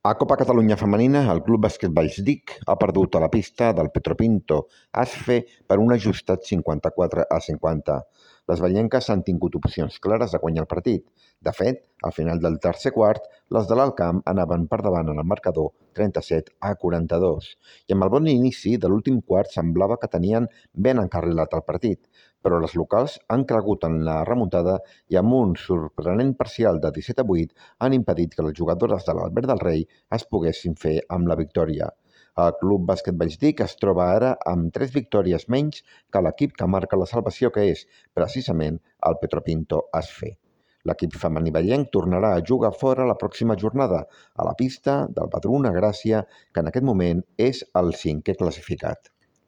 A Copa Catalunya Femenina, el Club Bàsquet Vallsdic ha perdut a la pista del Petropinto Asfe per un ajustat 54-50. Les vallenques han tingut opcions clares de guanyar el partit. De fet, al final del tercer quart, les de l'Alt Camp anaven per davant en el marcador 37-42. I amb el bon inici de l'últim quart semblava que tenien ben encarrilat el partit, però les locals han cregut en la remuntada i amb un sorprenent parcial de 17-8 han impedit que les jugadores de l'Albert del Rei es poguessin fer amb la victòria. El Club Bàsquet Vallsdic es troba ara amb 3 victòries menys que l'equip que marca la salvació, que és, precisament, el Petropinto Asfe. L'equip femení vallenc tornarà a jugar fora la pròxima jornada, a la pista del Vedruna Gràcia, que en aquest moment és el 5è classificat.